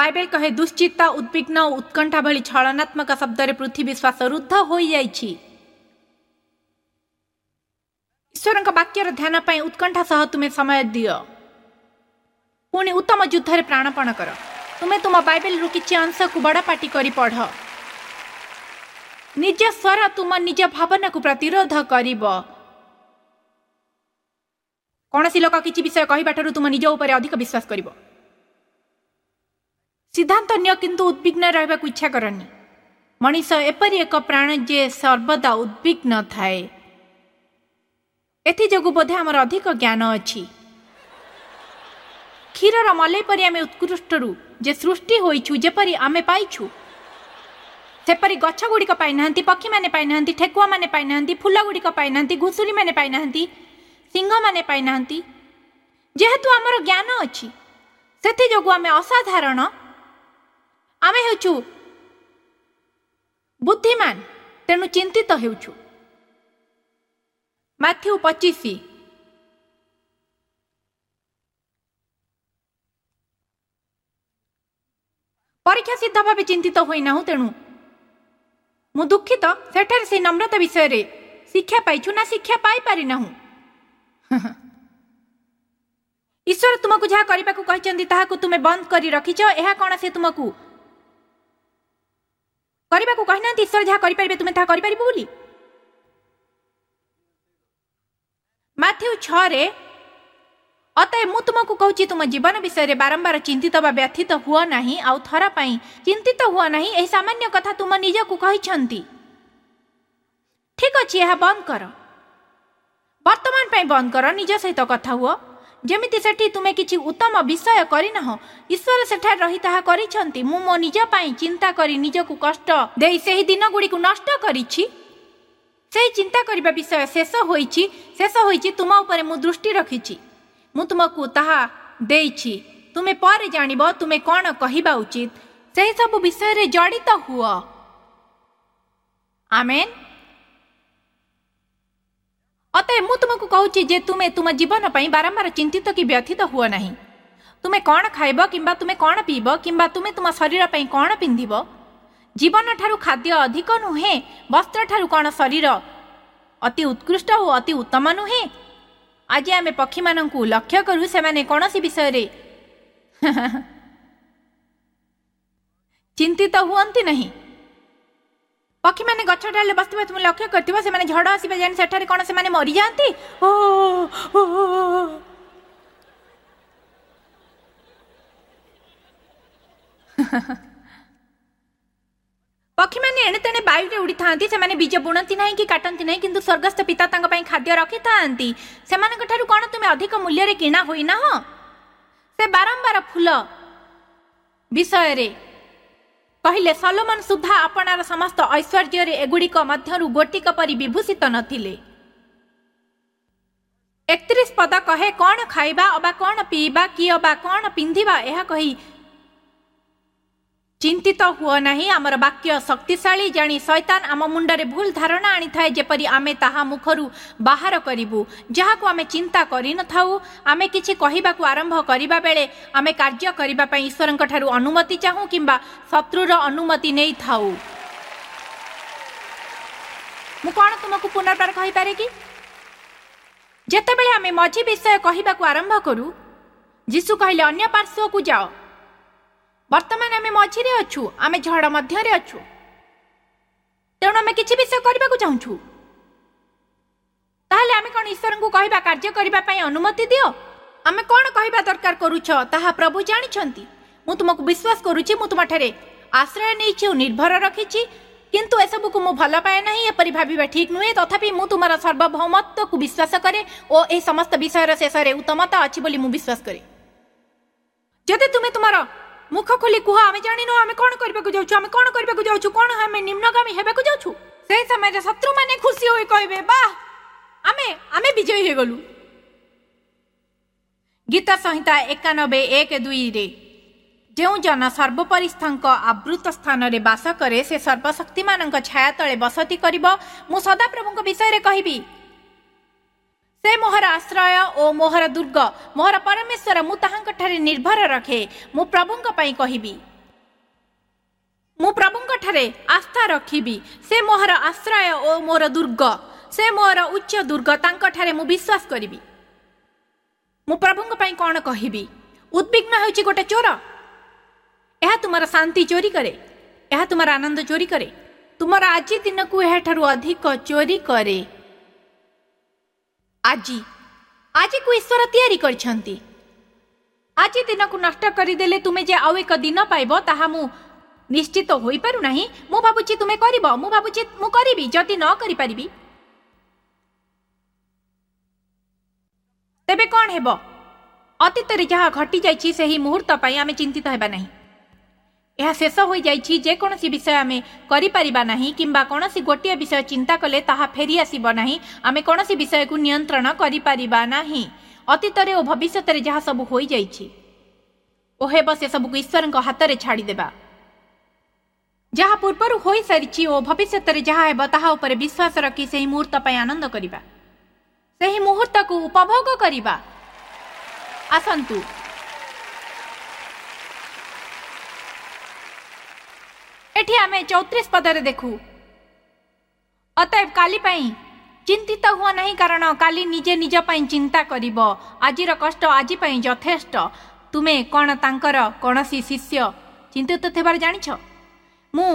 Bible କହେ, ଦୁଶ୍ଚିନ୍ତା, ଉଦ୍ବିଗ୍ନ ଓ ଉତ୍କଣ୍ଠା ଭଳି ଛଳନାତ୍ମକ ଶବ୍ଦରେ ପୃଥିବୀ ଶ୍ୱାସରୁଦ୍ଧ ହୋଇଯାଇଛି। ଈଶ୍ୱରଙ୍କ ବାକ୍ୟର ଧ୍ୟାନ ପାଇଁ ଉତ୍କଣ୍ଠା ସହ ତୁମେ ସମୟ ଦିଅ। ପୁଣି ଉତ୍ତମ ଯୁଦ୍ଧରେ ପ୍ରାଣପଣ କର। ତୁମେ ତୁମ ବାଇବେଲରୁ କିଛି ଅଂଶକୁ ବଡ଼ ପାଟି କରି ପଢ଼। ନିଜ ସ୍ୱର ତୁମ ନିଜ ଭାବନାକୁ ପ୍ରତିରୋଧ କରିବ। କୌଣସି ଲୋକ କିଛି ବିଷୟ କହିବା ଠାରୁ ତୁମ ନିଜ ଉପରେ ଅଧିକ ବିଶ୍ୱାସ କରିବ। ସିଦ୍ଧାନ୍ତ ନିଅ, କିନ୍ତୁ ଉଦ୍ବିଗ୍ନ ରହିବାକୁ ଇଚ୍ଛା କରନି। ମଣିଷ ଏପରି ଏକ ପ୍ରାଣ ଯେ ସର୍ବଦା ଉଦ୍ବିଗ୍ନ ଥାଏ। ଏଥିଯୋଗୁଁ ବୋଧେ ଆମର ଅଧିକ ଜ୍ଞାନ ଅଛି। କ୍ଷୀରର ମଲେଇ ପରି ଆମେ ଉତ୍କୃଷ୍ଟରୁ ଯେ ସୃଷ୍ଟି ହୋଇଛୁ, ଯେପରି ଆମେ ପାଇଛୁ ସେପରି ଗଛ ଗୁଡ଼ିକ ପାଇନାହାନ୍ତି, ପକ୍ଷୀମାନେ ପାଇନାହାନ୍ତି, ଠେକୁଆମାନେ ପାଇନାହାନ୍ତି, ଫୁଲ ଗୁଡ଼ିକ ପାଇନାହାନ୍ତି, ଘୁଷୁରୀମାନେ ପାଇନାହାନ୍ତି, ସିଂହମାନେ ପାଇନାହାନ୍ତି। ଯେହେତୁ ଆମର ଜ୍ଞାନ ଅଛି, ସେଥିଯୋଗୁଁ ଆମେ ଅସାଧାରଣ। ଆମେ ହେଉଛୁ ବୁଦ୍ଧିମାନ, ତେଣୁ ଚିନ୍ତିତ ହେଉଛୁ। ମାଥ୍ୟୁ 25। ପରୀକ୍ଷା ସିଦ୍ଧ ଭାବେ ଚିନ୍ତିତ ହୋଇନାହୁଁ, ତେଣୁ ମୁଁ ଦୁଃଖିତ। ସେଠାରେ ସେଇ ନମ୍ରତା ବିଷୟରେ ଶିକ୍ଷା ପାଇଛୁ ନା ଶିକ୍ଷା ପାଇପାରିନାହୁଁ? ଈଶ୍ୱର ତୁମକୁ ଯାହା କରିବାକୁ କହିଛନ୍ତି ତାହାକୁ ତୁମେ ବନ୍ଦ କରି ରଖିଛ। ଏହା କ'ଣ ସେ ତୁମକୁ କରିବାକୁ କହିନାହାନ୍ତି? ଈଶ୍ୱର ଯାହା କରିପାରିବେ ତୁମେ ତାହା କରିପାରିବ ବୋଲି। ମାଥ୍ୟୁ 6ରେ, ଅତଏବ ମୁଁ ତୁମକୁ କହୁଛି, ତୁମ ଜୀବନ ବିଷୟରେ ବାରମ୍ବାର ଚିନ୍ତିତ ବା ବ୍ୟଥିତ ହୁଅ ନାହିଁ, ଆଉ ଥର ପାଇଁ ଚିନ୍ତିତ ହୁଅ ନାହିଁ। ଏହି ସାମାନ୍ୟ କଥା ତୁମ ନିଜକୁ କହିଛନ୍ତି। ଠିକ ଅଛି, ଏହା ବନ୍ଦ କର, ବର୍ତ୍ତମାନ ପାଇଁ ବନ୍ଦ କର। ନିଜ ସହିତ କଥା ହୁଅ ଯେମିତି ସେଠି ତୁମେ କିଛି ଉତ୍ତମ ବିଷୟ କରିନାହ। ଈଶ୍ୱର ସେଠାରେ ରହି ତାହା କରିଛନ୍ତି। ମୁଁ ମୋ ନିଜ ପାଇଁ ଚିନ୍ତା କରି ନିଜକୁ କଷ୍ଟ ଦେଇ ସେହି ଦିନ ଗୁଡ଼ିକୁ ନଷ୍ଟ କରିଛି। ସେହି ଚିନ୍ତା କରିବା ବିଷୟ ଶେଷ ହୋଇଛି, ଶେଷ ହୋଇଛି। ତୁମ ଉପରେ ମୁଁ ଦୃଷ୍ଟି ରଖିଛି, ମୁଁ ତୁମକୁ ତାହା ଦେଇଛି। ତୁମେ ପରେ ଜାଣିବ ତୁମେ କ'ଣ କହିବା ଉଚିତ। ସେହି ସବୁ ବିଷୟରେ ଜଡ଼ିତ ହୁଅ। ଆମେନ୍। ଅତଏବ ମୁଁ ତୁମକୁ କହୁଛି ଯେ ତୁମେ ତୁମ ଜୀବନ ପାଇଁ ବାରମ୍ବାର ଚିନ୍ତିତ କି ବ୍ୟଥିତ ହୁଅ ନାହିଁ। ତୁମେ କ'ଣ ଖାଇବ କିମ୍ବା ତୁମେ କ'ଣ ପିଇବ କିମ୍ବା ତୁମେ ତୁମ ଶରୀର ପାଇଁ କ'ଣ ପିନ୍ଧିବ। ଜୀବନ ଠାରୁ ଖାଦ୍ୟ ଅଧିକ ନୁହେଁ? ବସ୍ତ୍ର ଠାରୁ କ'ଣ ଶରୀର ଅତି ଉତ୍କୃଷ୍ଟ ଓ ଅତି ଉତ୍ତମ ନୁହେଁ? ଆଜି ଆମେ ପକ୍ଷୀମାନଙ୍କୁ ଲକ୍ଷ୍ୟ କରୁ, ସେମାନେ କୌଣସି ବିଷୟରେ ଚିନ୍ତିତ ହୁଅନ୍ତି ନାହିଁ। ପକ୍ଷୀମାନେ ଗଛ ଡାଳରେ ବସିଥିବା ତୁମେ ଲକ୍ଷ୍ୟ କରିଥିବ। ସେମାନେ ଝଡ଼ ଆସିବା ଜାଣି ସେଠାରେ କ'ଣ ସେମାନେ ମରିଯାଆନ୍ତି? ଓ ପକ୍ଷୀମାନେ ଏଣେ ତେଣେ ବାୟୁରେ ଉଡ଼ିଥାନ୍ତି। ସେମାନେ ବୀଜ ବୁଣନ୍ତି ନାହିଁ କି କାଟନ୍ତି ନାହିଁ, କିନ୍ତୁ ସ୍ୱର୍ଗସ୍ଥ ପିତା ତାଙ୍କ ପାଇଁ ଖାଦ୍ୟ ରଖିଥାନ୍ତି। ସେମାନଙ୍କ ଠାରୁ କ'ଣ ତୁମେ ଅଧିକ ମୂଲ୍ୟରେ କିଣା ହୋଇନାହଁ? ସେ ବାରମ୍ବାର ଫୁଲ ବିଷୟରେ କହିଲେ, ସଲୋମନ ସୁଦ୍ଧା ଆପଣାର ସମସ୍ତ ଐଶ୍ୱର୍ଯ୍ୟରେ ଏଗୁଡ଼ିକ ମଧ୍ୟରୁ ଗୋଟିକ ପରି ବିଭୂଷିତ ନଥିଲେ। 31 ପଦ କହେ, କ'ଣ ଖାଇବା ଅବା କ'ଣ ପିଇବା କି ଅବା କ'ଣ ପିନ୍ଧିବା ଏହା କହି ଚିନ୍ତିତ ହୁଅ ନାହିଁ। ଆମର ବାକ୍ୟ ଶକ୍ତିଶାଳୀ ଜାଣି ଶୈତାନ ଆମ ମୁଣ୍ଡରେ ଭୁଲ ଧାରଣା ଆଣିଥାଏ, ଯେପରି ଆମେ ତାହା ମୁଖରୁ ବାହାର କରିବୁ ଯାହାକୁ ଆମେ ଚିନ୍ତା କରିନଥାଉ। ଆମେ କିଛି କହିବାକୁ ଆରମ୍ଭ କରିବା ବେଳେ ଆମେ କାର୍ଯ୍ୟ କରିବା ପାଇଁ ଈଶ୍ୱରଙ୍କ ଠାରୁ ଅନୁମତି ଚାହୁଁ କିମ୍ବା ଶତ୍ରୁର ଅନୁମତି ନେଇଥାଉ। ମୁଁ କ'ଣ ତୁମକୁ ପୁନର୍ବାର କହିପାରେ କି, ଯେତେବେଳେ ଆମେ ମଝି ବିଷୟ କହିବାକୁ ଆରମ୍ଭ କରୁ, ଯୀଶୁ କହିଲେ ଅନ୍ୟ ପାର୍ଶ୍ୱକୁ ଯାଅ। ବର୍ତ୍ତମାନ ଆମେ ମଝିରେ ଅଛୁ, ଆମେ ଝଡ଼ ମଧ୍ୟରେ ଅଛୁ, ତେଣୁ ଆମେ କିଛି ବିଷୟ କରିବାକୁ ଚାହୁଁଛୁ। ତାହେଲେ ଆମେ କ'ଣ ଈଶ୍ୱରଙ୍କୁ କହିବା କାର୍ଯ୍ୟ କରିବା ପାଇଁ ଅନୁମତି ଦିଅ? ଆମେ କ'ଣ କହିବା ଦରକାର କରୁଛ ତାହା ପ୍ରଭୁ ଜାଣିଛନ୍ତି। ମୁଁ ତୁମକୁ ବିଶ୍ୱାସ କରୁଛି, ମୁଁ ତୁମଠାରେ ଆଶ୍ରୟ ନେଇଛି ଓ ନିର୍ଭର ରଖିଛି, କିନ୍ତୁ ଏସବୁକୁ ମୁଁ ଭଲ ପାଏ ନାହିଁ। ଏପରି ଭାବିବା ଠିକ୍ ନୁହେଁ। ତଥାପି ମୁଁ ତୁମର ସାର୍ବଭୌମତ୍ୱକୁ ବିଶ୍ୱାସ କରେ ଓ ଏହି ସମସ୍ତ ବିଷୟର ଶେଷରେ ଉତ୍ତମତା ଅଛି ବୋଲି ମୁଁ ବିଶ୍ୱାସ କରେ। ଯଦି ତୁମେ ତୁମର ମୁଖ ଖୋଲି କୁହ, ଆମେ ଜାଣିନୁ ଆମେ କ'ଣ କରିବାକୁ ଯାଉଛୁ, ଆମେ କ'ଣ କରିବାକୁ ଯାଉଛୁ, କ'ଣ ଆମେ ନିମ୍ନଗାମୀ ହେବାକୁ ଯାଉଛୁ, ସେହି ସମୟରେ ଶତ୍ରୁମାନେ ଖୁସି ହୋଇ କହିବେ, ବାহ, ଆମେ ଆମେ ବିଜୟୀ ହେଇଗଲୁ। ଗୀତ ସଂହିତା 91:1-2ରେ, ଯେଉଁ ଜନ ସର୍ବୋପରିସ୍ଥଙ୍କ ଆବୃତ ସ୍ଥାନରେ ବାସ କରେ, ସେ ସର୍ବଶକ୍ତିମାନଙ୍କ ଛାୟା ତଳେ ବସତି କରିବ। ମୁଁ ସଦାପ୍ରଭୁଙ୍କ ବିଷୟରେ କହିବି, ସେ ମୋହର ଆଶ୍ରୟ ଓ ମୋହର ଦୁର୍ଗ, ମୋହର ପରମେଶ୍ୱର, ମୁଁ ତାହାଙ୍କଠାରେ ନିର୍ଭର ରଖେ। ମୁଁ ପ୍ରଭୁଙ୍କ ପାଇଁ କହିବି, ତାଙ୍କଠାରେ ଆସ୍ଥା ରଖିବି। ସେ ମୋହର ଆଶ୍ରୟ ଓ ମୋର ଦୁର୍ଗ, ସେ ମୋର ଉଚ୍ଚ ଦୁର୍ଗ, ତାଙ୍କଠାରେ ମୁଁ ବିଶ୍ୱାସ କରିବି। ମୁଁ ପ୍ରଭୁଙ୍କ ପାଇଁ କ'ଣ କହିବି? ଉଦ୍ବିଗ୍ନ ହେଉଛି ଗୋଟେ ଚୋର। ଏହା ତୁମର ଶାନ୍ତି ଚୋରି କରେ, ଏହା ତୁମର ଆନନ୍ଦ ଚୋରି କରେ, ତୁମର ଆଜି ଦିନକୁ ଏହାଠାରୁ ଅଧିକ ଚୋରି କରେ। ଆଜି ଆଜିକୁ ଈଶ୍ୱର ତିଆରି କରିଛନ୍ତି। ଆଜି ଦିନକୁ ନଷ୍ଟ କରିଦେଲେ ତୁମେ ଯେ ଆଉ ଏକ ଦିନ ପାଇବ ତାହା ମୁଁ ନିଶ୍ଚିତ ହୋଇପାରୁନାହିଁ। ମୁଁ ଭାବୁଛି ତୁମେ କରିବ, ମୁଁ ଭାବୁଛି ମୁଁ କରିବି। ଯଦି ନ କରିପାରିବି ତେବେ କ'ଣ ହେବ? ଅତୀତରେ ଯାହା ଘଟିଯାଇଛି ସେହି ମୁହୂର୍ତ୍ତ ପାଇଁ ଆମେ ଚିନ୍ତିତ ହେବା ନାହିଁ। ଏହା ଶେଷ ହୋଇଯାଇଛି। ଯେକୌଣସି ବିଷୟ ଆମେ କରିପାରିବା ନାହିଁ କିମ୍ବା କୌଣସି ଗୋଟିଏ ବିଷୟ ଚିନ୍ତା କଲେ ତାହା ଫେରିଆସିବ ନାହିଁ। ଆମେ କୌଣସି ବିଷୟକୁ ନିୟନ୍ତ୍ରଣ କରିପାରିବା ନାହିଁ। ଅତୀତରେ ଓ ଭବିଷ୍ୟତରେ ଯାହା ସବୁ ହୋଇଯାଇଛି ଓ ହେବ ସେସବୁକୁ ଈଶ୍ୱରଙ୍କ ହାତରେ ଛାଡ଼ିଦେବା। ଯାହା ପୂର୍ବରୁ ହୋଇସାରିଛି ଓ ଭବିଷ୍ୟତରେ ଯାହା ହେବ ତାହା ଉପରେ ବିଶ୍ୱାସ ରଖି ସେହି ମୁହୂର୍ତ୍ତ ପାଇଁ ଆନନ୍ଦ କରିବା, ସେହି ମୁହୂର୍ତ୍ତକୁ ଉପଭୋଗ କରିବା। ଆସନ୍ତୁ ଏଠି ଆମେ 34 ପଦରେ ଦେଖୁ, ଅତଏବ କାଲି ପାଇଁ ଚିନ୍ତିତ ହୁଅ ନାହିଁ, କାରଣ କାଲି ନିଜେ ନିଜ ପାଇଁ ଚିନ୍ତା କରିବ। ଆଜିର କଷ୍ଟ ଆଜି ପାଇଁ ଯଥେଷ୍ଟ। ତୁମେ କ'ଣ ତାଙ୍କର କୌଣସି ଶିଷ୍ୟ ଚିନ୍ତିତ ଥିବାର ଜାଣିଛ? ମୁଁ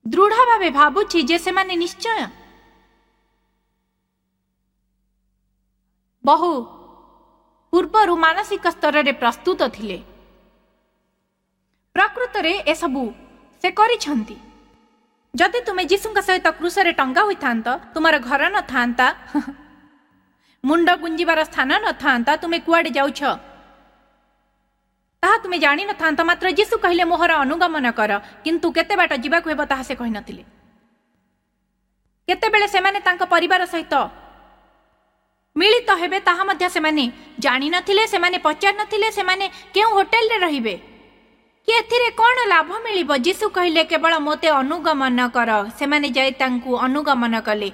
ଦୃଢ଼ ଭାବେ ଭାବୁଛି ଯେ ସେମାନେ ନିଶ୍ଚୟ ବହୁ ପୂର୍ବରୁ ମାନସିକ ସ୍ତରରେ ପ୍ରସ୍ତୁତ ଥିଲେ। ପ୍ରକୃତରେ ଏସବୁ ସେ କରିଛନ୍ତି। ଯଦି ତୁମେ ଯୀଶୁଙ୍କ ସହିତ କ୍ରୁଶରେ ଟଙ୍ଗା ହୋଇଥାନ୍ତ, ତୁମର ଘର ନଥାନ୍ତା, ମୁଣ୍ଡ ଗୁଞ୍ଜିବାର ସ୍ଥାନ ନଥାନ୍ତା, ତୁମେ କୁଆଡ଼େ ଯାଉଛ ତାହା ତୁମେ ଜାଣିନଥାନ୍ତ। ମାତ୍ର ଯୀଶୁ କହିଲେ, ମୋହର ଅନୁଗମନ କର। କିନ୍ତୁ କେତେ ବାଟ ଯିବାକୁ ହେବ ତାହା ସେ କହିନଥିଲେ। କେତେବେଳେ ସେମାନେ ତାଙ୍କ ପରିବାର ସହିତ ମିଳିତ ହେବେ ତାହା ମଧ୍ୟ ସେମାନେ ଜାଣିନଥିଲେ। ସେମାନେ ପଚାରିନଥିଲେ ସେମାନେ କେଉଁ ହୋଟେଲରେ ରହିବେ କି ଏଥିରେ କ'ଣ ଲାଭ ମିଳିବ। ଯୀଶୁ କହିଲେ, କେବଳ ମୋତେ ଅନୁଗମନ କର। ସେମାନେ ଯାଇ ତାଙ୍କୁ ଅନୁଗମନ କଲେ।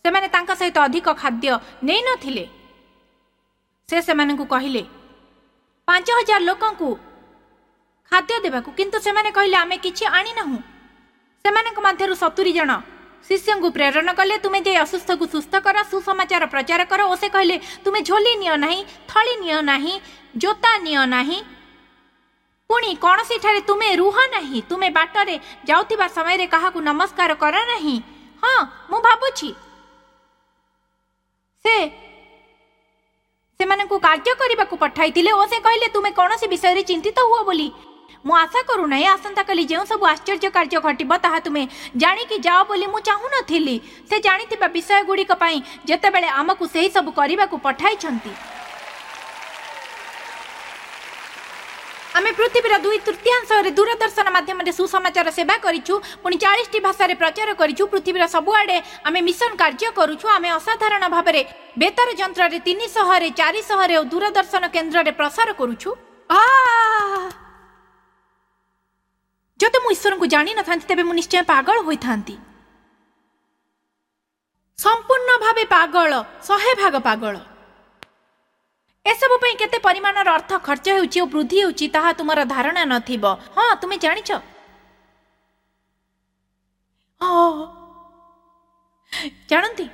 ସେମାନେ ତାଙ୍କ ସହିତ ଅଧିକ ଖାଦ୍ୟ ନେଇନଥିଲେ। ସେ ସେମାନଙ୍କୁ କହିଲେ 5000 ଲୋକଙ୍କୁ ଖାଦ୍ୟ ଦେବାକୁ, କିନ୍ତୁ ସେମାନେ କହିଲେ ଆମେ କିଛି ଆଣିନାହୁଁ। ସେମାନଙ୍କ ମଧ୍ୟରୁ 70 ଜଣ ଶିଷ୍ୟଙ୍କୁ ପ୍ରେରଣ କଲେ, ତୁମେ ଯାଇ ଅସୁସ୍ଥକୁ ସୁସ୍ଥ କର, ସୁସମାଚାର ପ୍ରଚାର କର। ଓ ସେ କହିଲେ, ତୁମେ ଝୋଲି ନିଅ ନାହିଁ, ଥଳି ନିଅ ନାହିଁ, ଜୋତା ନିଅ ନାହିଁ, ପୁଣି କୌଣସିଠାରେ ତୁମେ ରୁହ ନାହିଁ, ତୁମେ ବାଟରେ ଯାଉଥିବା ସମୟରେ କାହାକୁ ନମସ୍କାର କର ନାହିଁ। ହଁ, ମୁଁ ଭାବୁଛି ସେ ସେମାନଙ୍କୁ କାର୍ଯ୍ୟ କରିବାକୁ ପଠାଇଥିଲେ। ଓ ସେ କହିଲେ, ତୁମେ କୌଣସି ବିଷୟରେ ଚିନ୍ତିତ ହୁଅ ବୋଲି ମୁଁ ଆଶା କରୁନାହିଁ। ଆସନ୍ତାକାଲି ଯେଉଁ ସବୁ ଆଶ୍ଚର୍ଯ୍ୟ କାର୍ଯ୍ୟ ଘଟିବ ତାହା ତୁମେ ଜାଣିକି ଯାଅ ବୋଲି ମୁଁ ଚାହୁଁନଥିଲି। ସେ ଜାଣିଥିବା ବିଷୟ ଗୁଡ଼ିକ ପାଇଁ ଯେତେବେଳେ ଆମକୁ ସେହି ସବୁ କରିବାକୁ ପଠାଇଛନ୍ତି। ଆମେ ପୃଥିବୀର 2/3 ଦୂରଦର୍ଶନ ମାଧ୍ୟମରେ ସୁସମାଚାର ସେବା କରିଛୁ, ପୁଣି 40ଟି ଭାଷାରେ ପ୍ରଚାର କରିଛୁ। ପୃଥିବୀର ସବୁଆଡ଼େ ଆମେ ମିଶନ କାର୍ଯ୍ୟ କରୁଛୁ। ଆମେ ଅସାଧାରଣ ଭାବରେ ବେତାର ଯନ୍ତ୍ରରେ 300ରେ, 400ରେ ଓ ଦୂରଦର୍ଶନ କେନ୍ଦ୍ରରେ ପ୍ରସାର କରୁଛୁ। ଯଦି ମୁଁ ଈଶ୍ୱରଙ୍କୁ ଜାଣିନଥାନ୍ତି ତେବେ ମୁଁ ନିଶ୍ଚୟ ପାଗଳ ହୋଇଥାନ୍ତି, ସମ୍ପୂର୍ଣ୍ଣ ଭାବେ ପାଗଳ, 100 ଭାଗ ପାଗଳ। ଏସବୁ ପାଇଁ କେତେ ପରିମାଣର ଅର୍ଥ ଖର୍ଚ୍ଚ ହେଉଛି ଓ ବୃଦ୍ଧି ହେଉଛି ତାହା ତୁମର ଧାରଣା ନଥିବ। ହଁ, ତୁମେ ଜାଣିଛ। ଜାଣନ୍ତି,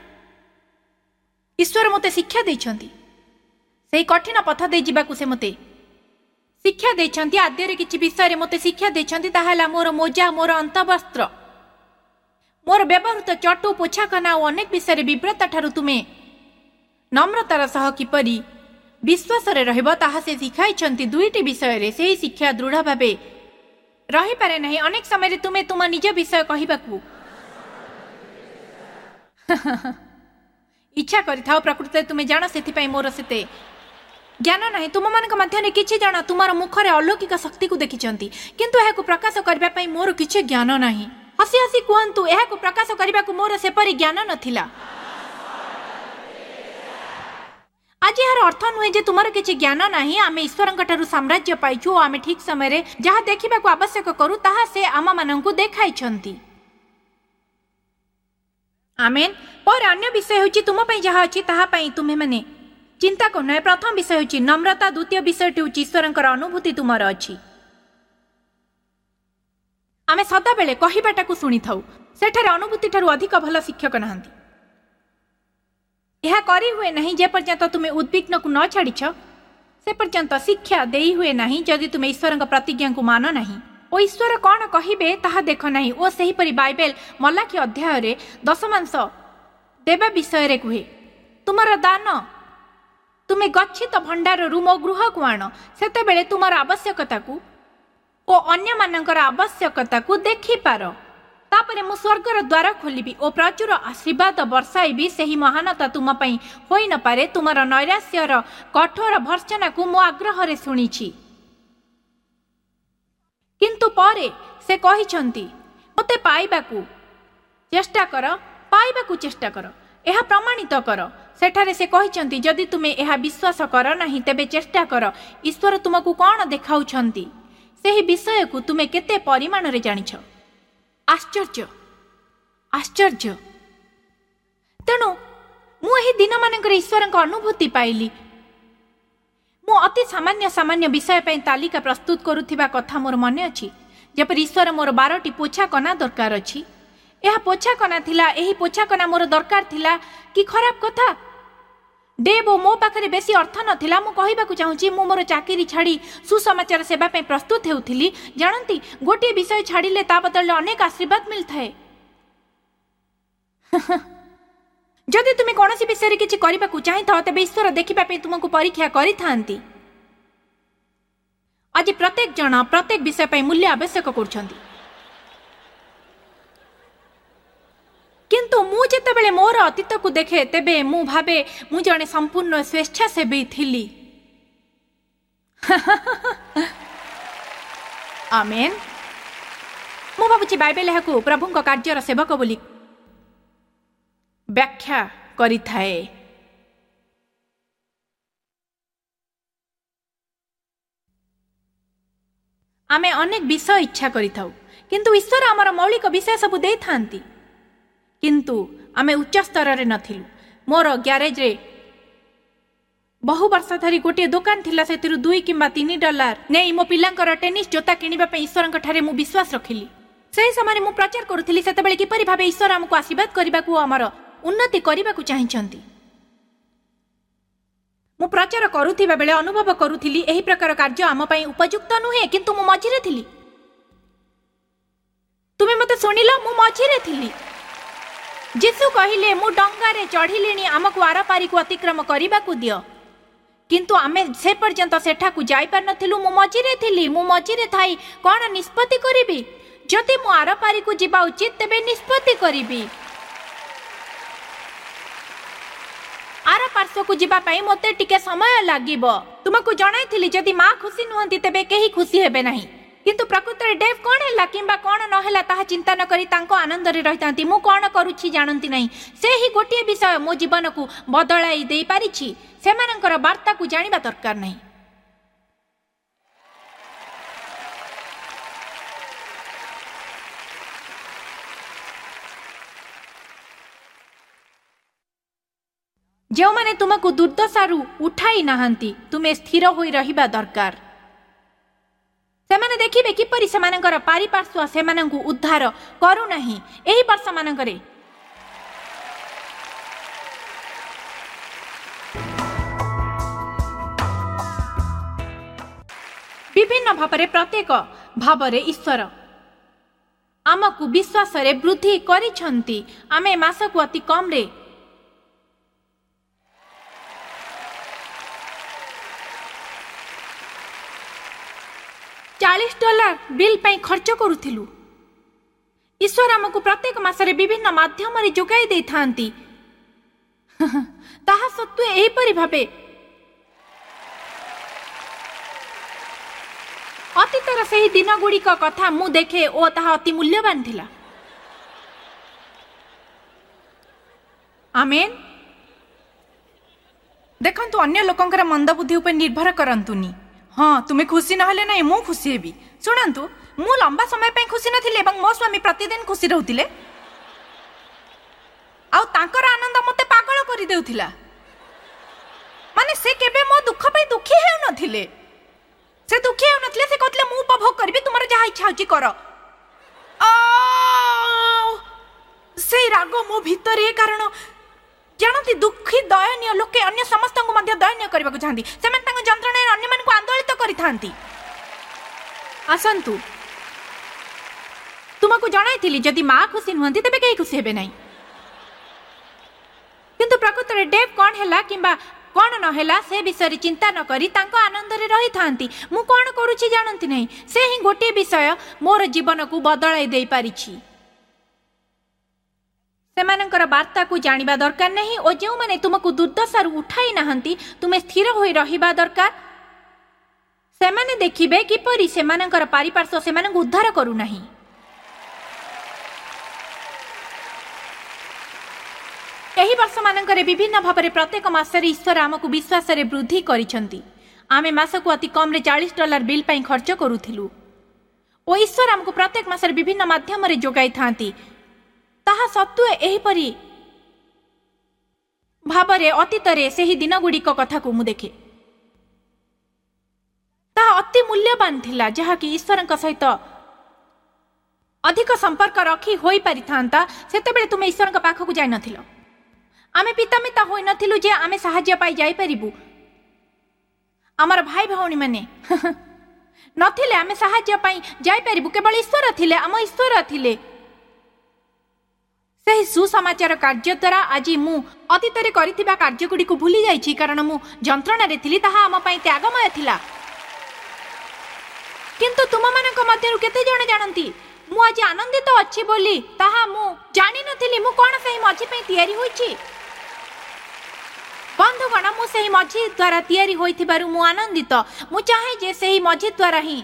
ଈଶ୍ୱର ମୋତେ ଶିକ୍ଷା ଦେଇଛନ୍ତି। ସେହି କଠିନ ପଥ ଦେଇ ଯିବାକୁ ସେ ମୋତେ ଶିକ୍ଷା ଦେଇଛନ୍ତି। ଆଦ୍ୟରେ କିଛି ବିଷୟରେ ମୋତେ ଶିକ୍ଷା ଦେଇଛନ୍ତି। ତାହା ହେଲା ମୋର ମୋଜା, ମୋର ଅନ୍ତଃବସ୍ତ୍ର, ମୋର ବ୍ୟବହୃତ ଚଟୁ, ପୋଛାକନା ଓ ଅନେକ ବିଷୟରେ ବିବ୍ରତା ଠାରୁ ତୁମେ ନମ୍ରତାର ସହ କିପରି ବିଶ୍ୱାସରେ ରହିବ ତାହା ସେ ଶିଖାଇଛନ୍ତି। 2ଟି ବିଷୟରେ ସେହି ଶିକ୍ଷା ଦୃଢ଼ ଭାବେ ରହିପାରେ ନାହିଁ। ଅନେକ ସମୟରେ ତୁମେ ତୁମ ନିଜ ବିଷୟ କହିବାକୁ ଇଚ୍ଛା କରିଥାଅ। ପ୍ରକୃତରେ ତୁମେ ଜାଣ, ସେଥିପାଇଁ ମୋର ସେତେ ଜ୍ଞାନ ନାହିଁ। ତୁମମାନଙ୍କ ମଧ୍ୟରେ କିଛି ଜଣ ତୁମର ମୁଖରେ ଅଲୌକିକ ଶକ୍ତିକୁ ଦେଖିଛନ୍ତି, କିନ୍ତୁ ଏହାକୁ ପ୍ରକାଶ କରିବା ପାଇଁ ମୋର କିଛି ଜ୍ଞାନ ନାହିଁ। ହସି ହସି କୁହନ୍ତୁ, ଏହାକୁ ପ୍ରକାଶ କରିବାକୁ ମୋର ସେପରି ଜ୍ଞାନ ନଥିଲା। ଆଜି ଏହାର ଅର୍ଥ ନୁହେଁ ଯେ ତୁମର କିଛି ଜ୍ଞାନ ନାହିଁ। ଆମେ ଈଶ୍ୱରଙ୍କ ଠାରୁ ସାମ୍ରାଜ୍ୟ ପାଇଛୁ ଓ ଆମେ ଠିକ୍ ସମୟରେ ଯାହା ଦେଖିବାକୁ ଆବଶ୍ୟକ କରୁ ତାହା ସେ ଆମମାନଙ୍କୁ ଦେଖାଇଛନ୍ତି। ଆମେନ୍। ପରେ ଅନ୍ୟ ବିଷୟ ହେଉଛି ତୁମ ପାଇଁ ଯାହା ଅଛି ତାହା ପାଇଁ ତୁମେମାନେ ଚିନ୍ତା କରୁନାହିଁ। ପ୍ରଥମ ବିଷୟ ହେଉଛି ନମ୍ରତା, ଦ୍ୱିତୀୟ ବିଷୟଟି ହେଉଛି ଈଶ୍ୱରଙ୍କର ଅନୁଭୂତି ତୁମର ଅଛି। ଆମେ ସଦାବେଳେ କହିବାଟାକୁ ଶୁଣିଥାଉ। ସେଠାରେ ଅନୁଭୂତି ଠାରୁ ଅଧିକ ଭଲ ଶିକ୍ଷକ ନାହାନ୍ତି। ଏହା କରିହୁଏ ନାହିଁ ଯେପର୍ଯ୍ୟନ୍ତ ତୁମେ ଉଦ୍ବିଗ୍ନକୁ ନ ଛାଡ଼ିଛ, ସେ ପର୍ଯ୍ୟନ୍ତ ଶିକ୍ଷା ଦେଇ ହୁଏ ନାହିଁ ଯଦି ତୁମେ ଈଶ୍ୱରଙ୍କ ପ୍ରତିଜ୍ଞାକୁ ମାନ ନାହିଁ ଓ ଈଶ୍ୱର କ'ଣ କହିବେ ତାହା ଦେଖ ନାହିଁ। ଓ ସେହିପରି ବାଇବେଲ ମଲାଖି ଅଧ୍ୟାୟରେ ଦଶମାଂଶ ଦେବା ବିଷୟରେ କୁହେ, ତୁମର ଦାନ ତୁମେ ଗଚ୍ଛିତ ଭଣ୍ଡାରରୁ ମୋ ଗୃହକୁ ଆଣ, ସେତେବେଳେ ତୁମର ଆବଶ୍ୟକତାକୁ ଓ ଅନ୍ୟମାନଙ୍କର ଆବଶ୍ୟକତାକୁ ଦେଖିପାର। ତାପରେ ମୁଁ ସ୍ୱର୍ଗର ଦ୍ୱାର ଖୋଲିବି ଓ ପ୍ରଚୁର ଆଶୀର୍ବାଦ ବର୍ଷାଇବି। ସେହି ମହାନତା ତୁମ ପାଇଁ ହୋଇନପାରେ। ତୁମର ନୈରାଶ୍ୟର କଠୋର ଭର୍ତ୍ସନାକୁ ମୁଁ ଆଗ୍ରହରେ ଶୁଣିଛି। କିନ୍ତୁ ପରେ ସେ କହିଛନ୍ତି, ମୋତେ ପାଇବାକୁ ଚେଷ୍ଟା କର, ପାଇବାକୁ ଚେଷ୍ଟା କର, ଏହା ପ୍ରମାଣିତ କର। ସେଠାରେ ସେ କହିଛନ୍ତି, ଯଦି ତୁମେ ଏହା ବିଶ୍ୱାସ କର ନାହିଁ ତେବେ ଚେଷ୍ଟା କର। ଈଶ୍ୱର ତୁମକୁ କ'ଣ ଦେଖାଉଛନ୍ତି ସେହି ବିଷୟକୁ ତୁମେ କେତେ ପରିମାଣରେ ଜାଣିଛ? ଆଶ୍ଚର୍ଯ୍ୟ, ଆଶ୍ଚର୍ଯ୍ୟ। ତେଣୁ ମୁଁ ଏହି ଦିନମାନଙ୍କରେ ଈଶ୍ୱରଙ୍କ ଅନୁଭୂତି ପାଇଲି। ମୁଁ ଅତି ସାମାନ୍ୟ ସାମାନ୍ୟ ବିଷୟ ପାଇଁ ତାଲିକା ପ୍ରସ୍ତୁତ କରୁଥିବା କଥା ମୋର ମନେ ଅଛି, ଯେପରି ଈଶ୍ୱର ମୋର 12ଟି ପୋଛା କନା ଦରକାର ଅଛି। ଏହା ପୋଛା କନା ଥିଲା, ଏହି ପୋଛା କନା ମୋର ଦରକାର ଥିଲା। କି ଖରାପ କଥା ଡେଭ୍, ଓ ମୋ ପାଖରେ ବେଶୀ ଅର୍ଥ ନଥିଲା। ମୁଁ କହିବାକୁ ଚାହୁଁଛି, ମୁଁ ମୋର ଚାକିରି ଛାଡ଼ି ସୁସମାଚାର ସେବା ପାଇଁ ପ୍ରସ୍ତୁତ ହେଉଥିଲି। ଜାଣନ୍ତି, ଗୋଟିଏ ବିଷୟ ଛାଡ଼ିଲେ ତା ବଦଳରେ ଅନେକ ଆଶୀର୍ବାଦ ମିଳିଥାଏ। ଯଦି ତୁମେ କୌଣସି ବିଷୟରେ କିଛି କରିବାକୁ ଚାହିଁଥାଅ, ତେବେ ଈଶ୍ୱର ଦେଖିବା ପାଇଁ ତୁମକୁ ପରୀକ୍ଷା କରିଥାନ୍ତି। ଆଜି ପ୍ରତ୍ୟେକ ଜଣ ପ୍ରତ୍ୟେକ ବିଷୟ ପାଇଁ ମୂଲ୍ୟ ଆବଶ୍ୟକ କରୁଛନ୍ତି। କିନ୍ତୁ ମୁଁ ଯେତେବେଳେ ମୋର ଅତୀତକୁ ଦେଖେ, ତେବେ ମୁଁ ଭାବେ ମୁଁ ଜଣେ ସମ୍ପୂର୍ଣ୍ଣ ସ୍ୱେଚ୍ଛାସେବୀ ଥିଲି। ଆମେନ୍। ମୁଁ ଭାବୁଛି ବାଇବେଲ ଏହାକୁ ପ୍ରଭୁଙ୍କ କାର୍ଯ୍ୟର ସେବକ ବୋଲି ବ୍ୟାଖ୍ୟା କରିଥାଏ। ଆମେ ଅନେକ ବିଷୟ ଇଚ୍ଛା କରିଥାଉ, କିନ୍ତୁ ଈଶ୍ୱର ଆମର ମୌଳିକ ବିଷୟ ସବୁ ଦେଇଥାନ୍ତି। କିନ୍ତୁ ଆମେ ଉଚ୍ଚ ସ୍ତରରେ ନଥିଲୁ। ମୋର ଗ୍ୟାରେଜରେ ବହୁ ବର୍ଷ ଧରି ଗୋଟିଏ ଦୋକାନ ଥିଲା। ସେଥିରୁ $2 କିମ୍ବା $3 ନେଇ ମୋ ପିଲାଙ୍କର ଟେନିସ୍ ଜୋତା କିଣିବା ପାଇଁ ଈଶ୍ୱରଙ୍କ ଠାରେ ମୁଁ ବିଶ୍ୱାସ ରଖିଲି। ସେହି ସମୟରେ ମୁଁ ପ୍ରଚାର କରୁଥିଲି ସେତେବେଳେ କିପରି ଭାବେ ଈଶ୍ୱର ଆମକୁ ଆଶୀର୍ବାଦ କରିବାକୁ ଓ ଆମର ଉନ୍ନତି କରିବାକୁ ଚାହିଁଛନ୍ତି। ମୁଁ ପ୍ରଚାର କରୁଥିବା ବେଳେ ଅନୁଭବ କରୁଥିଲି ଏହି ପ୍ରକାର କାର୍ଯ୍ୟ ଆମ ପାଇଁ ଉପଯୁକ୍ତ ନୁହେଁ, କିନ୍ତୁ ମୁଁ ମଝିରେ ଥିଲି। ତୁମେ ମୋତେ ଶୁଣିଲ? ମୁଁ ମଝିରେ ଥିଲି। ଯୀଶୁ କହିଲେ, ମୁଁ ଡଙ୍ଗାରେ ଚଢ଼ିଲିଣି, ଆମକୁ ଆରପାରିକୁ ଅତିକ୍ରମ କରିବାକୁ ଦିଅ। କିନ୍ତୁ ଆମେ ସେ ପର୍ଯ୍ୟନ୍ତ ସେଠାକୁ ଯାଇପାରିନଥିଲୁ। ମୁଁ ମଝିରେ ଥିଲି। ମୁଁ ମଝିରେ ଥାଇ କ'ଣ ନିଷ୍ପତ୍ତି କରିବି? ଯଦି ମୁଁ ଆରପାରିକୁ ଯିବା ଉଚିତ, ତେବେ ନିଷ୍ପତ୍ତି କରିବି। ଆର ପାର୍ଶ୍ୱକୁ ଯିବା ପାଇଁ ମୋତେ ଟିକେ ସମୟ ଲାଗିବ। ତୁମକୁ ଜଣାଇଥିଲି, ଯଦି ମା ଖୁସି ନୁହନ୍ତି ତେବେ କେହି ଖୁସି ହେବେ ନାହିଁ। କିନ୍ତୁ ପ୍ରକୃତରେ ଡେଭ୍ କ'ଣ ହେଲା କିମ୍ବା କ'ଣ ନହେଲା ତାହା ଚିନ୍ତା ନ କରି ତାଙ୍କ ଆନନ୍ଦରେ ରହିଥାନ୍ତି। ମୁଁ କ'ଣ କରୁଛି ଜାଣନ୍ତି ନାହିଁ। ସେହି ଗୋଟିଏ ବିଷୟ ମୋ ଜୀବନକୁ ବଦଳାଇ ଦେଇପାରିଛି। ସେମାନଙ୍କର ବାର୍ତ୍ତାକୁ ଜାଣିବା ଦରକାର ନାହିଁ। ଯେଉଁମାନେ ତୁମକୁ ଦୁର୍ଦ୍ଦଶାରୁ ଉଠାଇ ନାହାନ୍ତି, ତୁମେ ସ୍ଥିର ହୋଇ ରହିବା ଦରକାର। ସେମାନେ ଦେଖିବେ କିପରି ସେମାନଙ୍କର ପାରିପାର୍ଶ୍ୱ ସେମାନଙ୍କୁ ଉଦ୍ଧାର କରୁନାହିଁ। ଏହି ବର୍ଷମାନଙ୍କରେ ବିଭିନ୍ନ ଭାବରେ ପ୍ରତ୍ୟେକ ଭାବରେ ଈଶ୍ୱର ଆମକୁ ବିଶ୍ୱାସରେ ବୃଦ୍ଧି କରିଛନ୍ତି। ଆମେ ମାସକୁ ଅତି କମରେ $40 ବିଲ୍ ପାଇଁ ଖର୍ଚ୍ଚ କରୁଥିଲୁ। ଈଶ୍ୱର ଆମକୁ ପ୍ରତ୍ୟେକ ମାସରେ ବିଭିନ୍ନ ମାଧ୍ୟମରେ ଯୋଗାଇ ଦେଇଥାନ୍ତି। ତାହା ସତ୍ତ୍ୱେ ଏହିପରି ଭାବେ ଅତୀତର ସେହି ଦିନଗୁଡ଼ିକ କଥା ମୁଁ ଦେଖେ ଓ ତାହା ଅତି ମୂଲ୍ୟବାନ ଥିଲା। ଆମେନ୍। ଦେଖନ୍ତୁ, ଅନ୍ୟ ଲୋକଙ୍କର ମନ୍ଦବୁଦ୍ଧି ଉପରେ ନିର୍ଭର କରନ୍ତୁନି। ହଁ, ତୁମେ ଖୁସି ନହେଲେ ନାହିଁ, ମୁଁ ଖୁସି ହେବି। ଶୁଣନ୍ତୁ, ମୁଁ ଲମ୍ବା ସମୟ ପାଇଁ ଖୁସି ନଥିଲି ଏବଂ ମୋ ସ୍ୱାମୀ ପ୍ରତିଦିନ ଖୁସି ରହୁଥିଲେ, ଆଉ ତାଙ୍କର ଆନନ୍ଦ ମୋତେ ପାଗଳ କରିଦେଉଥିଲା। ମାନେ ସେ କେବେ ମୋ ଦୁଃଖ ପାଇଁ ଦୁଃଖୀ ହେଉନଥିଲେ। ସେ ଦୁଃଖୀ ହେଉନଥିଲେ। ସେ କହୁଥିଲେ, ମୁଁ ଉପଭୋଗ କରିବି, ତୁମର ଯାହା ଇଚ୍ଛା ହେଉଛି କର। ସେଇ ରାଗ ମୋ ଭିତରେ, କାରଣ ଜାଣନ୍ତି ଦୁଃଖୀ ଦୟନୀୟ ଲୋକେ ଅନ୍ୟ ସମସ୍ତଙ୍କୁ ମଧ୍ୟ ଦୟନୀୟ କରିବାକୁ ଚାହାନ୍ତି। ସେମାନେ ତାଙ୍କ ଯନ୍ତ୍ରଣାରେ ଅନ୍ୟମାନଙ୍କୁ ଆନ୍ଦୋଳିତ କରିଥାନ୍ତି। ଆସନ୍ତୁ, ତୁମକୁ ଜଣାଇଥିଲି ଯଦି ମା ଖୁସି ନୁହନ୍ତି ତେବେ କେହି ଖୁସି ହେବେ ନାହିଁ। କିନ୍ତୁ ପ୍ରକୃତରେ ଡେଭ୍ କ'ଣ ହେଲା କିମ୍ବା କ'ଣ ନହେଲା ସେ ବିଷୟରେ ଚିନ୍ତା ନ କରି ତାଙ୍କ ଆନନ୍ଦରେ ରହିଥାନ୍ତି। ମୁଁ କ'ଣ କରୁଛି ଜାଣନ୍ତି ନାହିଁ। ସେ ହିଁ ଗୋଟିଏ ବିଷୟ ମୋର ଜୀବନକୁ ବଦଳାଇ ଦେଇପାରିଛି। ସେମାନଙ୍କର ବାର୍ତ୍ତାକୁ ଜାଣିବା ଦରକାର ନାହିଁ ଓ ଯେଉଁମାନେ ତୁମକୁ ଦୁର୍ଦ୍ଦଶାରୁ ଉଠାଇ ନାହାନ୍ତି ତୁମେ ସ୍ଥିର ହୋଇ ରହିବା ଦରକାର। ସେମାନେ ଦେଖିବେ କିପରି ସେମାନଙ୍କର ପାରିପାର୍ଶ୍ୱ ସେମାନଙ୍କୁ ଉଦ୍ଧାର କରୁନାହିଁ। ଏହି ବର୍ଷମାନଙ୍କରେ ବିଭିନ୍ନ ଭାବରେ ପ୍ରତ୍ୟେକ ମାସରେ ଈଶ୍ୱର ଆମକୁ ବିଶ୍ୱାସରେ ବୃଦ୍ଧି କରିଛନ୍ତି। ଆମେ ମାସକୁ ଅତି କମ୍ରେ $40 ବିଲ୍ ପାଇଁ ଖର୍ଚ୍ଚ କରୁଥିଲୁ ଓ ଈଶ୍ୱର ଆମକୁ ପ୍ରତ୍ୟେକ ମାସରେ ବିଭିନ୍ନ ମାଧ୍ୟମରେ ଯୋଗାଇଥାନ୍ତି। ତାହା ସତ୍ତ୍ୱେ ଏହିପରି ଭାବରେ ଅତୀତରେ ସେହି ଦିନଗୁଡ଼ିକ କଥାକୁ ମୁଁ ଦେଖେ, ତାହା ଅତି ମୂଲ୍ୟବାନ ଥିଲା, ଯାହାକି ଈଶ୍ୱରଙ୍କ ସହିତ ଅଧିକ ସମ୍ପର୍କ ରଖି ହୋଇପାରିଥାନ୍ତା। ସେତେବେଳେ ତୁମେ ଈଶ୍ୱରଙ୍କ ପାଖକୁ ଯାଇନଥିଲ। ଆମେ ପିତାମିତା ହୋଇନଥିଲୁ ଯେ ଆମେ ସାହାଯ୍ୟ ପାଇ ଯାଇପାରିବୁ। ଆମର ଭାଇ ଭଉଣୀମାନେ ନଥିଲେ ଆମେ ସାହାଯ୍ୟ ପାଇଁ ଯାଇପାରିବୁ। କେବଳ ଈଶ୍ୱର ଥିଲେ, ଆମ ଈଶ୍ୱର ଥିଲେ। ସେହି ସୁସମାଚାର କାର୍ଯ୍ୟ ଦ୍ୱାରା ଆଜି ମୁଁ ଅତୀତରେ କରିଥିବା କାର୍ଯ୍ୟଗୁଡ଼ିକୁ ଭୁଲି ଯାଇଛି, କାରଣ ମୁଁ ଯନ୍ତ୍ରଣାରେ ଥିଲି। ତାହା ଆମ ପାଇଁ ତ୍ୟାଗମୟ ଥିଲା। କିନ୍ତୁ ତୁମମାନଙ୍କ ମଧ୍ୟରୁ କେତେ ଜଣ ଜାଣନ୍ତି ମୁଁ ଆଜି ଆନନ୍ଦିତ ଅଛି ବୋଲି? ତାହା ମୁଁ ଜାଣିନଥିଲି। ମୁଁ କ'ଣ ସେହି ମଝି ପାଇଁ ତିଆରି ହୋଇଛି? ବନ୍ଧୁଗଣ, ମୁଁ ସେହି ମଝି ଦ୍ୱାରା ତିଆରି ହୋଇଥିବାରୁ ମୁଁ ଆନନ୍ଦିତ। ମୁଁ ଚାହେଁ ଯେ ସେହି ମଝି ଦ୍ୱାରା ହିଁ